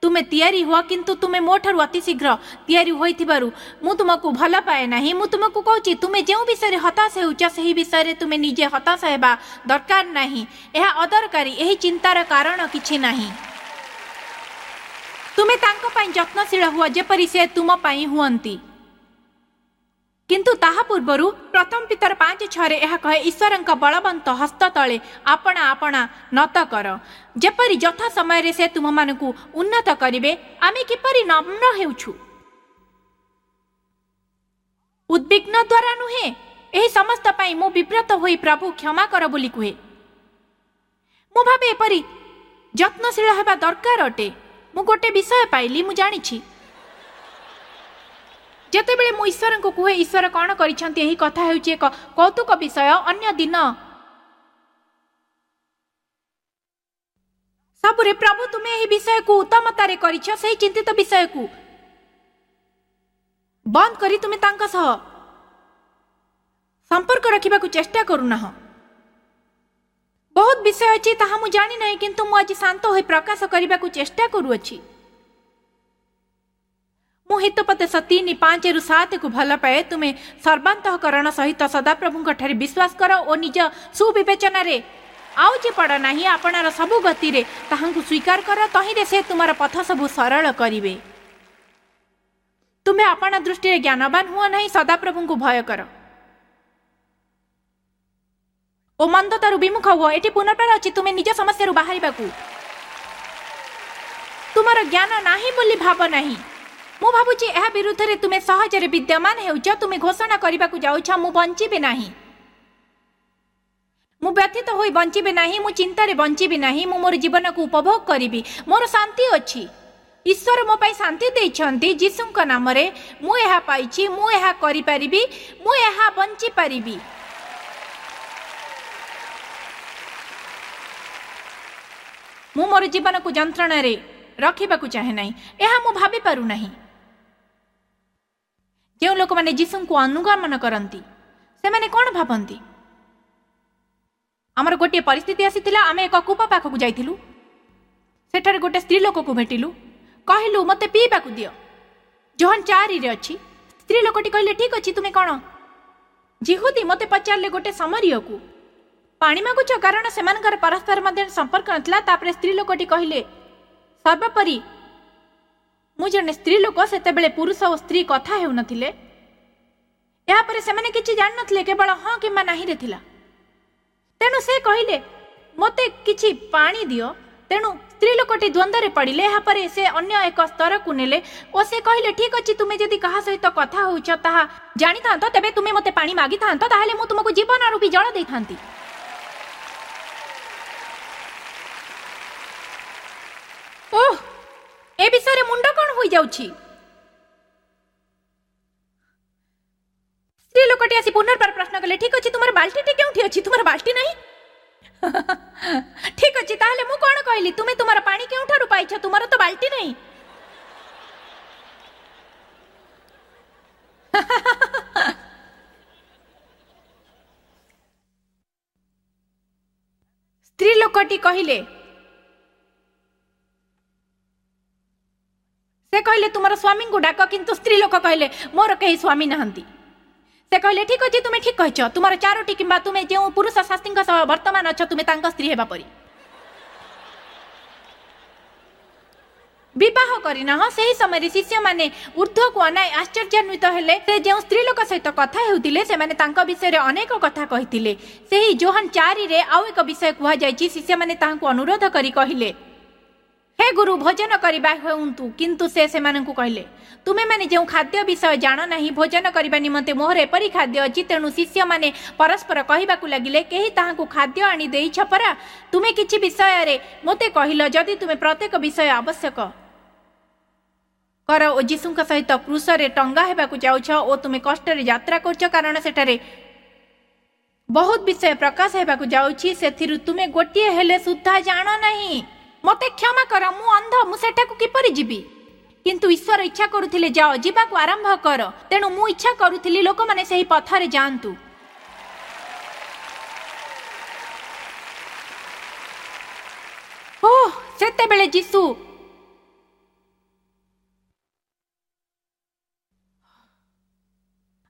ତୁମେ ତିଆରି ହୁଅ, କିନ୍ତୁ ତୁମେ ମୋ ଠାରୁ ଅତି ଶୀଘ୍ର ତିଆରି ହୋଇଥିବାରୁ ମୁଁ ତୁମକୁ ଭଲ ପାଏ ନାହିଁ। ମୁଁ ତୁମକୁ କହୁଛି, ତୁମେ ଯେଉଁ ବିଷୟରେ ହତାଶ ହେଉଛ ସେହି ବିଷୟରେ ତୁମେ ନିଜେ ହତାଶ ହେବା ଦରକାର ନାହିଁ। ଏହା ଅଦରକାରୀ। ଏହି ଚିନ୍ତାର କାରଣ କିଛି ନାହିଁ। ତୁମେ ତାଙ୍କ ପାଇଁ ଯତ୍ନଶୀଳ ହୁଅ ଯେପରି ସେ ତୁମ ପାଇଁ ହୁଅନ୍ତି। କିନ୍ତୁ ତାହା ପୂର୍ବରୁ ପ୍ରଥମ ପିତର 5:6 ଏହା କହେ, ଈଶ୍ୱରଙ୍କ ବଳବନ୍ତ ହସ୍ତ ତଳେ ଆପଣା ଆପଣା ନତ କର, ଯେପରି ଯଥା ସମୟରେ ସେ ତୁମମାନଙ୍କୁ ଉନ୍ନତ କରିବେ। ଆମେ କିପରି ନମ୍ର ହେଉଛୁ? ଉଦ୍ବିଗ୍ନ ଦ୍ୱାରା ନୁହେଁ। ଏହି ସମସ୍ତ ପାଇଁ ମୁଁ ବିବ୍ରତ ହୋଇ ପ୍ରଭୁ କ୍ଷମା କର ବୋଲି କୁହେ। ମୁଁ ଭାବେ ଏପରି ଯତ୍ନଶୀଳ ହେବା ଦରକାର ଅଟେ। ମୁଁ ଗୋଟେ ବିଷୟ ପାଇଲି, ମୁଁ ଜାଣିଛି ଯେତେବେଳେ ମୁଁ ଈଶ୍ୱରଙ୍କୁ କୁହେ ଈଶ୍ୱର କ'ଣ କରିଛନ୍ତି, ଏହି କଥା ହେଉଛି ଏକ କୌତୁକ ବିଷୟ। ଅନ୍ୟ ଦିନ ସବୁରେ ପ୍ରଭୁ ତୁମେ ଏହି ବିଷୟକୁ ଉତ୍ତମତାରେ କରିଛ, ସେହି ଚିନ୍ତିତ ବିଷୟକୁ ବନ୍ଦ କରି ତୁମେ ତାଙ୍କ ସହ ସମ୍ପର୍କ ରଖିବାକୁ ଚେଷ୍ଟା କରୁନାହଁ। ବହୁତ ବିଷୟ ଅଛି ତାହା ମୁଁ ଜାଣିନାହିଁ, କିନ୍ତୁ ମୁଁ ଆଜି ଶାନ୍ତ ହୋଇ ପ୍ରକାଶ କରିବାକୁ ଚେଷ୍ଟା କରୁଅଛି। ମୁଁ ହିତୋପଦେଶ 3:5-7 ଭଲ ପାଏ। ତୁମେ ସର୍ବାନ୍ତଃକରଣ ସହିତ ସଦାପ୍ରଭୁଙ୍କ ଠାରେ ବିଶ୍ୱାସ କର ଓ ନିଜ ସୁବିବେଚନାରେ ଆଉଜି ପଡ଼ ନାହିଁ। ଆପଣାର ସବୁ ଗତିରେ ତାହାଙ୍କୁ ସ୍ୱୀକାର କର, ତହିଁରେ ସେ ତୁମର ପଥ ସବୁ ସରଳ କରିବେ। ତୁମେ ଆପଣା ଦୃଷ୍ଟିରେ ଜ୍ଞାନବାନ ହୁଅ ନାହିଁ, ସଦାପ୍ରଭୁଙ୍କୁ ଭୟ କର ଓ ମନ୍ଦତାରୁ ବିମୁଖ ହୁଅ। ଏଠି ପୁନର୍ବାର ଅଛି ତୁମେ ନିଜ ସମସ୍ୟାରୁ ବାହାରିବାକୁ। ତୁମର ଜ୍ଞାନ ନାହିଁ ବୋଲି ଭାବ ନାହିଁ। ମୁଁ ଭାବୁଛି ଏହା ବିରୁଦ୍ଧରେ ତୁମେ ସହଜରେ ବିଦ୍ୟମାନ ହେଉଛ। ତୁମେ ଘୋଷଣା କରିବାକୁ ଯାଉଛ, ମୁଁ ବଞ୍ଚିବି ନାହିଁ, ମୁଁ ବ୍ୟଥିତ ହୋଇ ବଞ୍ଚିବି ନାହିଁ, ମୁଁ ଚିନ୍ତାରେ ବଞ୍ଚିବି ନାହିଁ, ମୁଁ ମୋର ଜୀବନକୁ ଉପଭୋଗ କରିବି, ମୋର ଶାନ୍ତି ଅଛି, ଈଶ୍ୱର ମୋ ପାଇଁ ଶାନ୍ତି ଦେଇଛନ୍ତି, ଯୀଶୁଙ୍କ ନାମରେ ମୁଁ ଏହା ପାଇଛି, ମୁଁ ଏହା କରିପାରିବି, ମୁଁ ଏହା ବଞ୍ଚିପାରିବି। ମୁଁ ମୋର ଜୀବନକୁ ଯନ୍ତ୍ରଣାରେ ରଖିବାକୁ ଚାହେଁ ନାହିଁ। ଏହା ମୁଁ ଭାବିପାରୁନାହିଁ। ଯେଉଁ ଲୋକମାନେ ଯୀଶୁଙ୍କୁ ଅନୁଗମନ କରନ୍ତି ସେମାନେ କ'ଣ ଭାବନ୍ତି? ଆମର ଗୋଟିଏ ପରିସ୍ଥିତି ଆସିଥିଲା, ଆମେ ଏକ କୂପ ପାଖକୁ ଯାଇଥିଲୁ। ସେଠାରେ ଗୋଟେ ସ୍ତ୍ରୀ ଲୋକକୁ ଭେଟିଲୁ। କହିଲୁ, ମୋତେ ପିଇବାକୁ ଦିଅ। ଯୋହନ 4ରେ ଅଛି। ସ୍ତ୍ରୀ ଲୋକଟି କହିଲେ, ଠିକ ଅଛି, ତୁମେ କ'ଣ ଯିହୁଦୀ? ମୋତେ ପଚାରିଲେ ଗୋଟେ ସମରୀୟକୁ ପାଣି ମାଗୁଛ? କାରଣ ସେମାନଙ୍କର ପରସ୍ପର ମଧ୍ୟରେ ସମ୍ପର୍କ ନଥିଲା। ତାପରେ ସ୍ତ୍ରୀ ଲୋକଟି କହିଲେ, ସର୍ବୋପରି ମୁଁ ଜଣେ ସ୍ତ୍ରୀ ଲୋକ। ସେତେବେଳେ ପୁରୁଷ ଓ ସ୍ତ୍ରୀ କଥା ହେଉନଥିଲେ। ଏହାପରେ ସେମାନେ କିଛି ଜାଣିନଥିଲେ, କେବଳ ହଁ କିମ୍ବା ନାହିଁରେ ଥିଲା। ତେଣୁ ସେ କହିଲେ, ମୋତେ କିଛି ପାଣି ଦିଅ। ତେଣୁ ସ୍ତ୍ରୀ ଲୋକଟି ଦ୍ୱନ୍ଦ୍ୱରେ ପଡ଼ିଲେ। ଏହାପରେ ସେ ଅନ୍ୟ ଏକ ସ୍ତରକୁ ନେଲେ ଓ ସେ କହିଲେ, ଠିକ ଅଛି, ତୁମେ ଯଦି କାହା ସହିତ କଥା ହେଉଛ ତାହା ଜାଣିଥାନ୍ତ, ତେବେ ତୁମେ ମୋତେ ପାଣି ମାଗିଥାନ୍ତ, ତାହେଲେ ମୁଁ ତୁମକୁ ଜୀବନ ରୂପୀ ଜଳ ଦେଇଥାନ୍ତି। ଓହ, ଏ ବିଷୟରେ ମୁଣ୍ଡ କଣ ହୋଇଯାଉଛି। ସ୍ତ୍ରୀ ଲୋକଟି ଆସି ପୁନର୍ବାର ପ୍ରଶ୍ନ କଲେ, ଠିକ ଅଛି, ତୁମର ବାଲ୍ଟିଟି କେଉଁଠି ଅଛି? ତୁମର ବାଲ୍ଟି ନାହିଁ? ଠିକ ଅଛି, ତାହେଲେ ମୁଁ କଣ କହିଲି? ତୁମେ ତୁମର ପାଣି କେଉଁଠାରୁ ପାଇଛ? ତୁମର ତ ବାଲ୍ଟି ନାହିଁ। ସ୍ତ୍ରୀ ଲୋକଟି କହିଲେ, ସେ କହିଲେ, ତୁମର ସ୍ୱାମୀଙ୍କୁ ଡାକ। କିନ୍ତୁ ସ୍ତ୍ରୀ ଲୋକ କହିଲେ, ମୋର କେହି ସ୍ୱାମୀ ନାହାନ୍ତି। ସେ କହିଲେ, ଠିକ ଅଛି, ତୁମେ ଠିକ କହିଛ। ତୁମର ଚାରୋଟି କିମ୍ବା ତୁମେ ଯେଉଁ ପୁରୁଷ ଶାସ୍ତ୍ରୀଙ୍କ ସହ ବର୍ତ୍ତମାନ ଅଛ, ତୁମେ ତାଙ୍କ ସ୍ତ୍ରୀ ହେବା ପରି। ବିବାହ କରିନାହ। ସେହି ସମୟରେ ଶିଷ୍ୟମାନେ ଉର୍ଦ୍ଧ୍ୱକୁ ଅନାଇ ଆଶ୍ଚର୍ଯ୍ୟାନ୍ୱିତ ହେଲେ। ସେ ଯେଉଁ ସ୍ତ୍ରୀ ଲୋକ ସହିତ କଥା ହେଉଥିଲେ, ସେମାନେ ତାଙ୍କ ବିଷୟରେ ଅନେକ କଥା କହିଥିଲେ। ସେହି ଜୋହାନ 4ରେ ଆଉ ଏକ ବିଷୟ କୁହାଯାଇଛି। ଶିଷ୍ୟମାନେ ତାହାଙ୍କୁ ଅନୁରୋଧ କରି କହିଲେ, ହେ ଗୁରୁ, ଭୋଜନ କରିବା ହେଉନ୍ତୁ। କିନ୍ତୁ ସେ ସେମାନଙ୍କୁ କହିଲେ, ତୁମେମାନେ ଯେଉଁ ଖାଦ୍ୟ ବିଷୟ ଜାଣ ନାହିଁ, ଭୋଜନ କରିବା ନିମନ୍ତେ ମୋହର ଏପରି ଖାଦ୍ୟ ଅଛି। ତେଣୁ ଶିଷ୍ୟମାନେ ପରସ୍ପର କହିବାକୁ ଲାଗିଲେ, କେହି ତାହାଙ୍କୁ ଖାଦ୍ୟ ଆଣି ଦେଇଛ ପରା? ତୁମେ କିଛି ବିଷୟରେ ମୋତେ କହିଲ, ଯଦି ତୁମେ ପ୍ରତ୍ୟେକ ବିଷୟ ଆବଶ୍ୟକ କର ଓ ଯୀଶୁଙ୍କ ସହିତ କ୍ରୁଶରେ ଟଙ୍ଗା ହେବାକୁ ଯାଉଛ ଓ ତୁମେ କଷ୍ଟରେ ଯାତ୍ରା କରୁଛ, କାରଣ ସେଠାରେ ବହୁତ ବିଷୟ ପ୍ରକାଶ ହେବାକୁ ଯାଉଛି, ସେଥିରୁ ତୁମେ ଗୋଟିଏ ହେଲେ ସୁଦ୍ଧା ଜାଣ ନାହିଁ। ମୋତେ କ୍ଷମା କର, ମୁଁ ଅନ୍ଧ, ମୁଁ ସେଠାକୁ କିପରି ଯିବି? କିନ୍ତୁ ଈଶ୍ୱର ଇଚ୍ଛା କରୁଥିଲେ, ଯାଅ, ଯିବାକୁ ଆରମ୍ଭ କର। ତେଣୁ ମୁଁ ଇଚ୍ଛା କରୁଥିଲି ଲୋକମାନେ ସେହି ପଥରେ ଯାଆନ୍ତୁ। ଓହ, ସେତେବେଳେ ଯୀଶୁ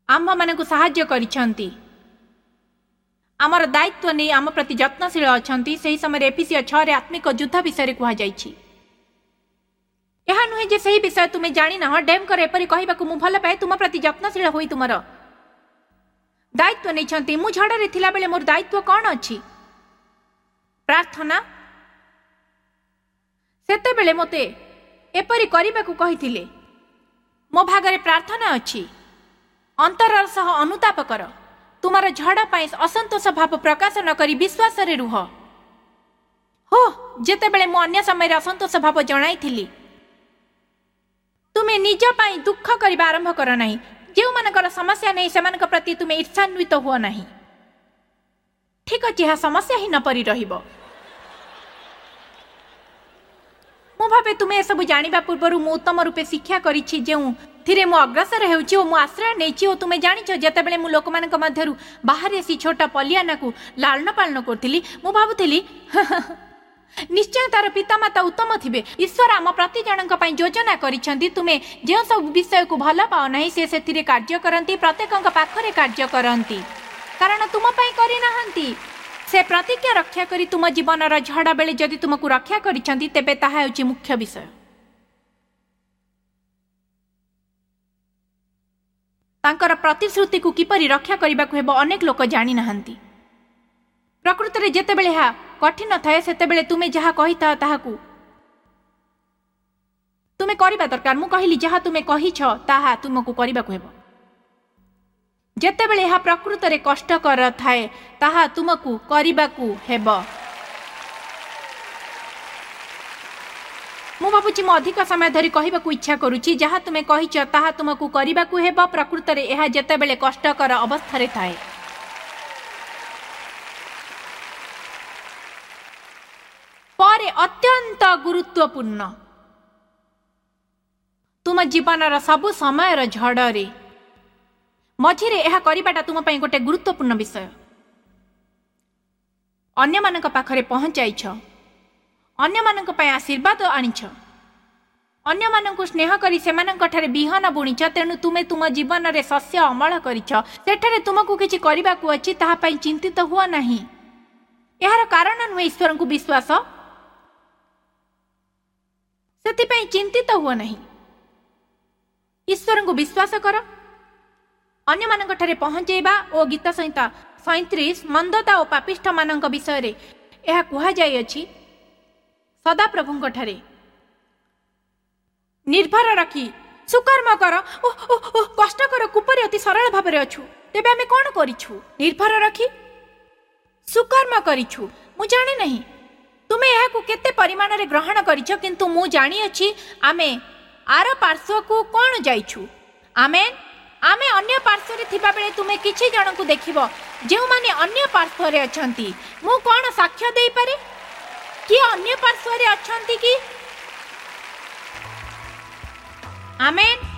ଆମ୍ଭମାନଙ୍କୁ ସାହାଯ୍ୟ କରିଛନ୍ତି, ଆମର ଦାୟିତ୍ୱ ନେଇ ଆମ ପ୍ରତି ଯତ୍ନଶୀଳ ଅଛନ୍ତି। ସେହି ସମୟରେ ଏଫିସିୟ 6ରେ ଆତ୍ମିକ ଯୁଦ୍ଧ ବିଷୟରେ କୁହାଯାଇଛି। ଏହା ନୁହେଁ ଯେ ସେହି ବିଷୟ ତୁମେ ଜାଣିନାହ। ଡେମ୍ଙ୍କର ଏପରି କହିବାକୁ ମୁଁ ଭଲ ପାଏ, ତୁମ ପ୍ରତି ଯତ୍ନଶୀଳ ହୋଇ ତୁମର ଦାୟିତ୍ୱ ନେଇଛନ୍ତି। ମୁଁ ଝଡ଼ରେ ଥିଲାବେଳେ ମୋର ଦାୟିତ୍ୱ କ'ଣ ଅଛି? ପ୍ରାର୍ଥନା। ସେତେବେଳେ ମୋତେ ଏପରି କରିବାକୁ କହିଥିଲେ। ମୋ ଭାଗରେ ପ୍ରାର୍ଥନା ଅଛି। ଅନ୍ତରର ସହ ଅନୁତାପ କର। ତୁମର ଝଡ଼ ପାଇଁ ଅସନ୍ତୋଷ ଭାବ ପ୍ରକାଶ ନ କରି ବିଶ୍ୱାସରେ ରୁହ। ହୋ, ଯେତେବେଳେ ମୁଁ ଅନ୍ୟ ସମୟରେ ଅସନ୍ତୋଷ ଭାବ ଜଣାଇଥିଲି, ତୁମେ ନିଜ ପାଇଁ ଦୁଃଖ କରିବା ଆରମ୍ଭ କର ନାହିଁ। ଯେଉଁମାନଙ୍କର ସମସ୍ୟା ନାହିଁ ସେମାନଙ୍କ ପ୍ରତି ତୁମେ ଈର୍ଷାନ୍ୱିତ ହୁଅ ନାହିଁ। ଠିକ ଅଛି, ଏହା ସମସ୍ୟା ହିଁ ନ ପରି ରହିବ। ମୁଁ ଭାବେ ତୁମେ ଏସବୁ ଜାଣିବା ପୂର୍ବରୁ ମୁଁ ଉତ୍ତମ ରୂପେ ଶିକ୍ଷା କରିଛି, ଯେଉଁଥିରେ ମୁଁ ଅଗ୍ରସର ହେଉଛି ଓ ମୁଁ ଆଶ୍ରୟ ନେଇଛି। ଓ ତୁମେ ଜାଣିଛ, ଯେତେବେଳେ ମୁଁ ଲୋକମାନଙ୍କ ମଧ୍ୟରୁ ବାହାରି ଆସି ଛୋଟ ପଲିଆନାକୁ ଲାଳନ ପାଳନ କରୁଥିଲି, ମୁଁ ଭାବୁଥିଲି ନିଶ୍ଚୟ ତାର ପିତାମାତା ଉତ୍ତମ ଥିବେ। ଈଶ୍ୱର ଆମ ପ୍ରତି ଜଣଙ୍କ ପାଇଁ ଯୋଜନା କରିଛନ୍ତି। ତୁମେ ଯେଉଁ ସବୁ ବିଷୟକୁ ଭଲ ପାଅ ନାହିଁ, ସେ ସେଥିରେ କାର୍ଯ୍ୟ କରନ୍ତି, ପ୍ରତ୍ୟେକଙ୍କ ପାଖରେ କାର୍ଯ୍ୟ କରନ୍ତି, କାରଣ ତୁମ ପାଇଁ କରିନାହାନ୍ତି। ସେ ପ୍ରତିଜ୍ଞା ରକ୍ଷା କରି ତୁମ ଜୀବନର ଝଡ଼ ବେଳେ ଯଦି ତୁମକୁ ରକ୍ଷା କରିଛନ୍ତି, ତେବେ ତାହା ହେଉଛି ମୁଖ୍ୟ ବିଷୟ। ତାଙ୍କର ପ୍ରତିଶ୍ରୁତିକୁ କିପରି ରକ୍ଷା କରିବାକୁ ହେବ ଅନେକ ଲୋକ ଜାଣିନାହାନ୍ତି। ପ୍ରକୃତରେ ଯେତେବେଳେ ଏହା କଠିନ ଥାଏ, ସେତେବେଳେ ତୁମେ ଯାହା କହିଥାଅ ତାହାକୁ ତୁମେ କରିବା ଦରକାର। ମୁଁ କହିଲି, ଯାହା ତୁମେ କହିଛ ତାହା ତୁମକୁ କରିବାକୁ ହେବ। ଯେତେବେଳେ ଏହା ପ୍ରକୃତରେ କଷ୍ଟକର ଥାଏ, ତାହା ତୁମକୁ କରିବାକୁ ହେବ। ମୁଁ ଭାବୁଛି ମୁଁ ଅଧିକ ସମୟ ଧରି କହିବାକୁ ଇଚ୍ଛା କରୁଛି। ଯାହା ତୁମେ କହିଛ ତାହା ତୁମକୁ କରିବାକୁ ହେବ। ପ୍ରକୃତରେ ଏହା ଯେତେବେଳେ କଷ୍ଟକର ଅବସ୍ଥାରେ ଥାଏ। ପରେ ଅତ୍ୟନ୍ତ ଗୁରୁତ୍ୱପୂର୍ଣ୍ଣ, ତୁମ ଜୀବନର ସବୁ ସମୟର ଝଡ଼ରେ ମଝିରେ ଏହା କରିବାଟା ତୁମ ପାଇଁ ଗୋଟେ ଗୁରୁତ୍ୱପୂର୍ଣ୍ଣ ବିଷୟ। ଅନ୍ୟମାନଙ୍କ ପାଖରେ ପହଞ୍ଚାଇଛ, ଅନ୍ୟମାନଙ୍କ ପାଇଁ ଆଶୀର୍ବାଦ ଆଣିଛ, ଅନ୍ୟମାନଙ୍କୁ ସ୍ନେହ କରି ସେମାନଙ୍କଠାରେ ବିହନ ବୁଣିଛ, ତେଣୁ ତୁମେ ତୁମ ଜୀବନରେ ଶସ୍ୟ ଅମଳ କରିଛ। ସେଠାରେ ତୁମକୁ କିଛି କରିବାକୁ ଅଛି, ତାହା ପାଇଁ ଚିନ୍ତିତ ହୁଅ ନାହିଁ। ଏହାର କାରଣ ନୁହେଁ ଈଶ୍ୱରଙ୍କୁ ବିଶ୍ୱାସ, ସେଥିପାଇଁ ଚିନ୍ତିତ ହୁଅ ନାହିଁ। ଈଶ୍ୱରଙ୍କୁ ବିଶ୍ୱାସ କର, ଅନ୍ୟମାନଙ୍କଠାରେ ପହଞ୍ଚେଇବା। ଓ ଗୀତ ସଂହିତା 37 ମନ୍ଦତା ଓ ପାପିଷ୍ଠମାନଙ୍କ ବିଷୟରେ ଏହା କୁହାଯାଇଅଛି। ସଦାପ୍ରଭୁଙ୍କଠାରେ ନିର୍ଭର ରଖି ସୁକର୍ମ କର ଓ କଷ୍ଟକର କୂପରେ ଅତି ସରଳ ଭାବରେ ଅଛୁ। ତେବେ ଆମେ କ'ଣ କରିଛୁ? ନିର୍ଭର ରଖି ସୁକର୍ମ କରିଛୁ। ମୁଁ ଜାଣେ ନାହିଁ ତୁମେ ଏହାକୁ କେତେ ପରିମାଣରେ ଗ୍ରହଣ କରିଛ, କିନ୍ତୁ ମୁଁ ଜାଣିଅଛି ଆମେ ଆର ପାର୍ଶ୍ୱକୁ କ'ଣ ଯାଇଛୁ। ଆମେ ଅନ୍ୟ ପାର୍ଶ୍ୱରେ ଥିବାବେଳେ ତୁମେ କିଛି ଜଣଙ୍କୁ ଦେଖିବ ଯେଉଁମାନେ ଅନ୍ୟ ପାର୍ଶ୍ୱରେ ଅଛନ୍ତି। ମୁଁ କ'ଣ ସାକ୍ଷ୍ୟ ଦେଇପାରେ? କିଏ ଅନ୍ୟ ପାର୍ଶ୍ୱରେ ଅଛନ୍ତି କି? ଆମେନ୍।